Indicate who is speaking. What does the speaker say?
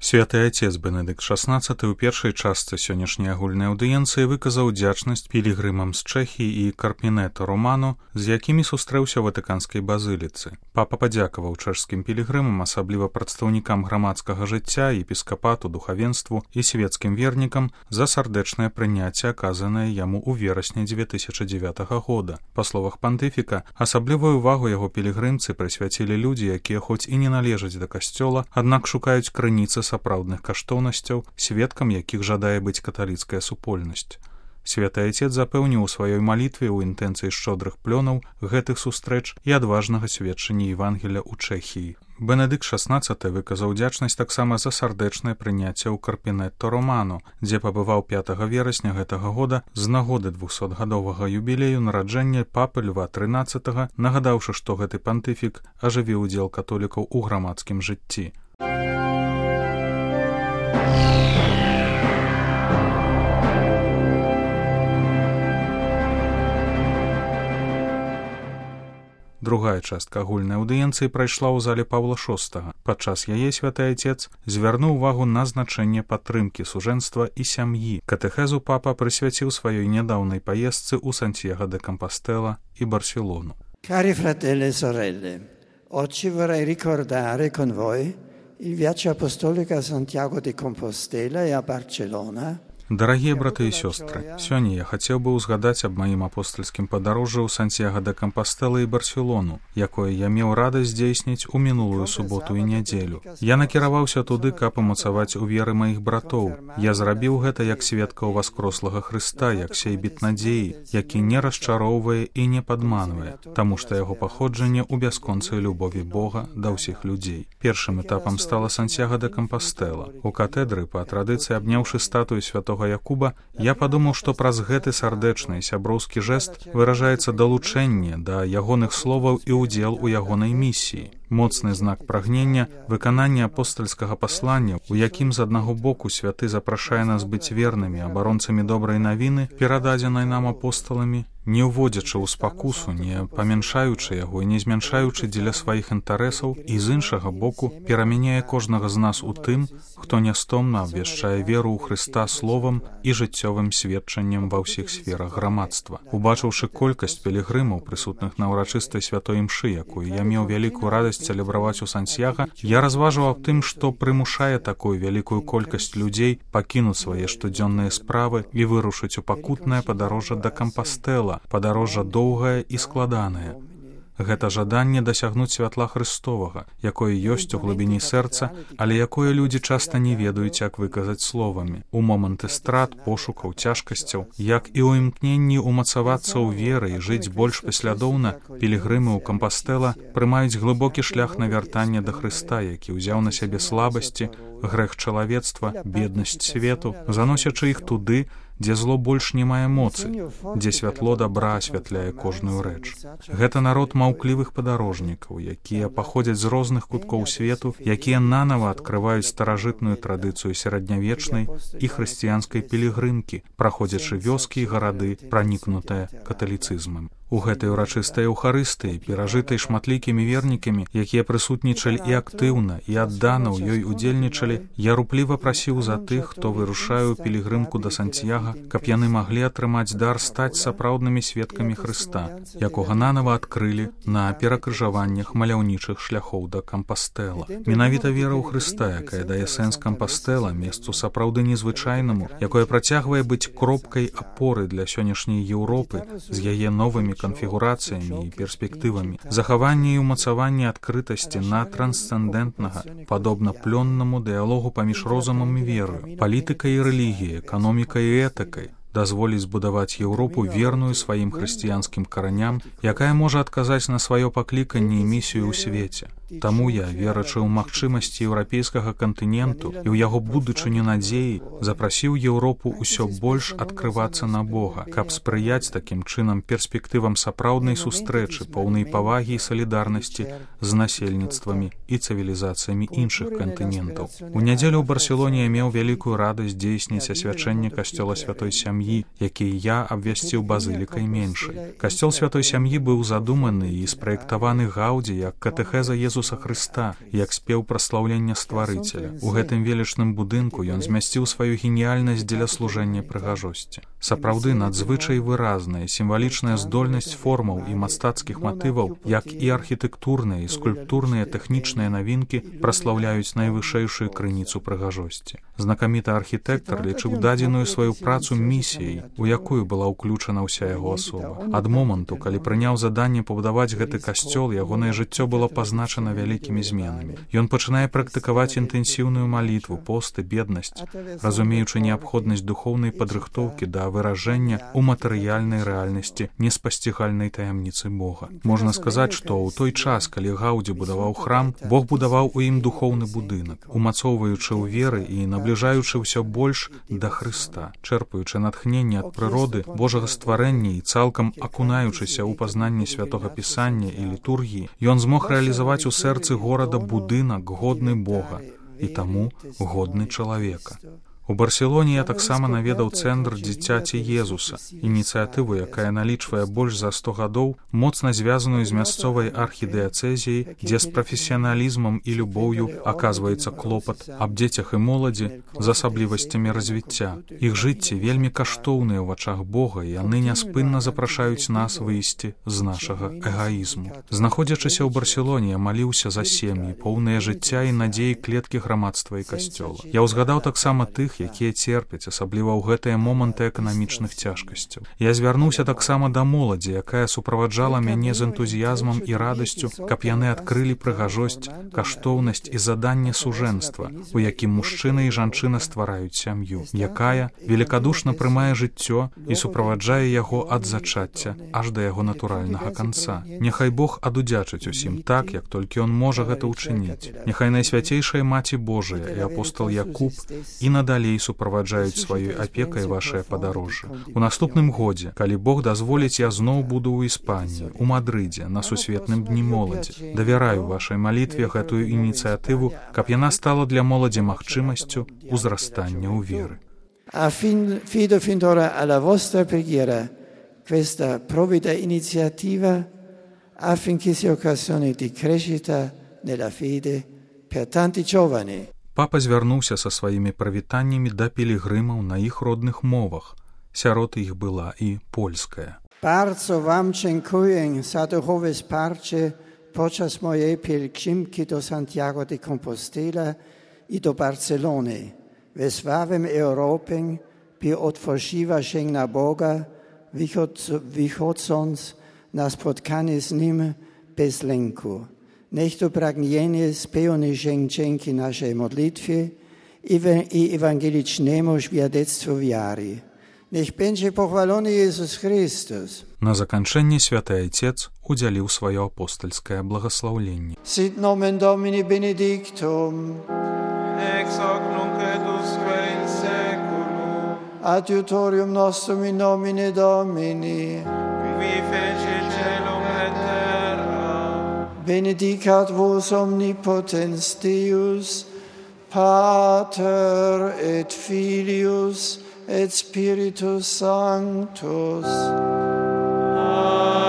Speaker 1: Святы Отец Бенедыкт XVI ў першай частцы сённяшняй агульнай аўдыенцыі выказаў удзячнасць пілігрымам з Чэхіі і Карпінета Романо, з якімі сустрэўся ў Ватыканскай базыліцы. Папа падзякаваў чэшскім пілігрымам, асабліва прадстаўнікам грамадскага жыцця, епіскапату, духавенству і свецкім вернікам за сардэчнае прыняцце, аказанае яму ў верасні 2009 года. Па словах пантыфіка, асаблівую ўвагу яго пілігрымцы прысвяцілі людзі, якія хоць і не належаць да касцёла, аднак шукаюць крыніцы сапраўдных каштоўнасцяў, сведкам якіх жадае быць каталіцкая супольнасць. Святы Отец запэўніў у сваёй малітве ў інтэнцыі шчодрых плёнаў гэтых сустрэч і адважнага сведчання Евангелля ў Чэхіі. Бенедыкт XVI выказаў удзячнасць таксама за сардэчнае прыняцце ў Карпінетто Романо, дзе пабываў 5 верасня гэтага года з нагоды 200-гадовага юбілею нараджэння папы Льва XIII, нагадаўшы, што гэты пантыфік ажывіў удзел католікаў у грамадскім жыцці. Другая частка агульнай аўдыенцыі прайшла ў зале Паўла VI. Падчас яе святы Отец звярнуў увагу на значэнне падтрымкі сужэнства і сям'і. Катэхезу папа прысвяціў сваёй нядаўнай паездцы ў Сантьяго де Компостела і Барселону.
Speaker 2: Cari fratelli e sorelle, oggi vorrei ricordare con voi il viaggio apostolico a Santiago de Compostela e a Barcelona.
Speaker 1: Дарагія браты і сёстры, сёння я хацеў бы ўзгадаць аб маім апостальскім падарожжы ў Сантьяго де Компостела і Барселону, якое я меў радасць здзейсніць у мінулую суботу і нядзелю. Я накіраваўся туды, каб умацаваць у веры маіх братоў. Я зрабіў гэта як сведка ў васкрослага Хрыста, як сейбіт надзеі, які не расчароўвае і не падманвае, таму што яго паходжанне ў бясконцай любові Бога да ўсіх людзей. Першым этапам стала Сантьяго де Компостела. У катэдры, па традыцыі абняўшы статую святога Якуба, я падумаў, што праз гэты сардэчны сяброўскі жэст выражаецца далучэнне да ягоных словаў і ўдзел у ягонай місіі. Моцны знак прагнення, выканання апостальскага паслання, у якім з аднаго боку святы запрашае нас быць вернымі абаронцамі добрай навіны, перададзенай нам апосталамі, не ўводзячы ў спакусу, не памяншаючы яго і не змяншаючы дзеля сваіх інтарэсаў, і з іншага боку перамяняе кожнага з нас у тым, хто нястомна абвяшчае веру ў Хрыста словам і жыццёвым сведчаннем ва ўсіх сферах грамадства. Убачыўшы колькасць пілігрымаў, прысутных на ўрачыстай святой імшы, якую я меў вялікую радасць цэлебраваць у Сантьяго, я разважваў аб тым, што прымушае такую вялікую колькасць людзей пакінуць свае штодзённыя справы і вырушыць у пакутнае падарожжа да Компостела, падарожжа доўгае і складанае. Гэта жаданне дасягнуць святла Хрыстовага, якое ёсць у глыбіні сэрца, але якое людзі часта не ведаюць, як выказаць словамі. У моманты страт, пошукаў, цяжкасцяў, як і ў імкненні умацавацца ў веры і жыць больш паслядоўна, пілігрымы ў Компостела прымаюць глыбокі шлях на вяртанне да Хрыста, які ўзяў на сябе слабасці, грэх чалавецтва, беднасць свету, заносячы іх туды, дзе зло больш не мае моцы, дзе святло дабра асвятляе кожную рэч. Гэта народ маўклівых падарожнікаў, якія паходзяць з розных куткоў свету, якія нанава адкрываюць старажытную традыцыю сярэднявечнай і хрысціянскай пілігрымкі, праходзячы вёскі і гарады, пранікнутыя каталіцызмам. У гэтай урачыстай эўхарыстыі, перажытай шматлікімі вернікамі, якія прысутнічалі і актыўна, і аддана ў ёй удзельнічалі, я рупліва прасіў за тых, хто вырушае ў пілігрымку да Сантьяго, каб яны маглі атрымаць дар стаць сапраўднымі сведкамі Хрыста, якога нанава адкрылі на перакрыжаваннях маляўнічых шляхоў да Компостела. Менавіта вера ў Хрыста, якая дае сэнс Компостела, месцу сапраўды незвычайнаму, якое працягвае быць кропкай апоры для сённяшняй Еўропы з яе новымі канфігурацыямі і перспектывамі, захаванне і ўмацаванне адкрытасці на трансцэндэнтнага, падобна плённаму дыялогу паміж розумам і верою, палітыкай і рэлігіяй, эканомікай і этыкай, дазволіць збудаваць Еўропу верную сваім хрысціянскім караням, якая можа адказаць на сваё пакліканне і місію ў свеце. Таму я, верачы ў магчымасці еўрапейскага кантыненту і ў яго будучыню надзеі, запрасіў Еўропу ўсё больш адкрывацца на Бога, каб спрыяць такім чынам перспектывам сапраўднай сустрэчы, поўнай павагі і салідарнасці з насельніцтвамі і цывілізацыямі іншых кантынентаў. У нядзелю ў Барселоне я меў вялікую радасць дзейсніць асвячэнне касцёла святой сям'і, які я абвясціў базылікай меншай. Касцёл святой сям'і быў задуманы і спраектаваны Гаўдзі як катэхеза Езуса Ісуса Хрыста, як спеў праслаўлення стварыцеля. У гэтым велічным будынку ён змясціў сваю геніяльнасць дзеля служэння прыгажосці. Сапраўды надзвычай выразная сімвалічная здольнасць формаў і мастацкіх матываў, як і архітэктурныя і скульптурныя тэхнічныя навінкі праслаўляюць найвышэйшую крыніцу прыгажосці. Знакаміты архітэктар лічыў дадзеную сваю працу місіяй, у якую была ўключана ўся яго асоба. Ад моманту, калі прыняў заданне пабудаваць гэты касцёл, ягонае жыццё было пазначана вялікімі зменамі. Ён пачынае практыкаваць інтэнсіўную малітву, пост і беднасць, разумеючы неабходнасць духоўнай падрыхтоўкі да выражэння у матэрыяльнай рэальнасці неспасцігальнай таямніцы Бога. Можна сказаць, што ў той час, калі Гаўдзі будаваў храм, Бог будаваў у ім духоўны будынак, умацоўваючы ў веры і набліжаючы ўсё больш да Хрыста, чэрпаючы натхненне ад прыроды, Божага стварэння і цалкам акунаючыся ў пазнанне святога пісання і літургіі, ён змог рэалізаваць у сэрцы горада будынак годны Бога і таму годны чалавека. У Барселоне я таксама наведаў цэнтр дзіцяці Езуса, ініцыятыву, якая налічвае больш за 100 гадоў, моцна звязаную з мясцовай архідыяцэзіяй, дзе з прафесіяналізмам і любоўю аказваецца клопат аб дзецях і моладзі з асаблівасцямі развіцця. Іх жыцці вельмі каштоўныя ў вачах Бога, і яны няспынна запрашаюць нас выйсці з нашага эгаізму. Знаходзячыся ў Барселоне, я маліўся за сем'і, поўныя жыцця і надзеі клеткі грамадства і касцёла. Я ўзгадаў таксама тых, якія церпяць, асабліва ў гэтыя моманты эканамічных цяжкасцяў. Я звярнуўся таксама да моладзі, якая суправаджала мяне з энтузіязмам і радасцю, каб яны адкрылі прыгажосць, каштоўнасць і заданне сужэнства, у якім мужчына і жанчына ствараюць сям'ю, якая великадушна прымае жыццё і суправаджае яго ад зачацця аж да яго натуральнага канца. Няхай Бог адудзячыць усім так, як толькі ён можа гэта ўчыніць. Няхай Найсвяцейшая Маці Божая і апостол Якуб і надалей суправаджаюць сваёй апекай вашае падарожжа. У наступным годзе, калі Бог дазволіць, я зноў буду ў Іспаніі, у Мадрыдзе, на сусветным дні моладзі. Давяраю вашай малітве гэтую ініцыятыву, каб яна стала для моладзі магчымасцю узрастання ў веры.
Speaker 2: Affido fin d'ora alla vostra preghiera questa provvida iniziativa affinché sia occasione di crescita nella fede per tanti giovani.
Speaker 1: Папа звярнуўся са сваімі прывітаннямі да пілігрымаў на іх родных мовах. Сярод іх была і польская.
Speaker 2: Bardzo wam dziękuję za duchowe wsparcie podczas mojej pielgrzymki do Santiago de Compostela i do Barcelony. Wysłałem Europę, by otworzyła się na Boga, wychodząc na spotkanie z Nim bez lęku. Niech to pragnienie spełni się dzięki naszej modlitwie i ewangelicznemu świadectwu wiary. Niech będzie pochwalony Jezus Chrystus.
Speaker 1: На заканчэнне святы Айцец удзяліў сваё апостальскае благаслаўленне.
Speaker 2: Sit nomen Domini benedictum.
Speaker 3: Ex hoc nunc et usque in seculum.
Speaker 2: Adiutorium nostrum in nomine Domini.
Speaker 3: Qui feci celum et terra.
Speaker 2: Benedicat vos omnipotens Deus, Pater et Filius et Spiritus Sanctus.
Speaker 3: Amen.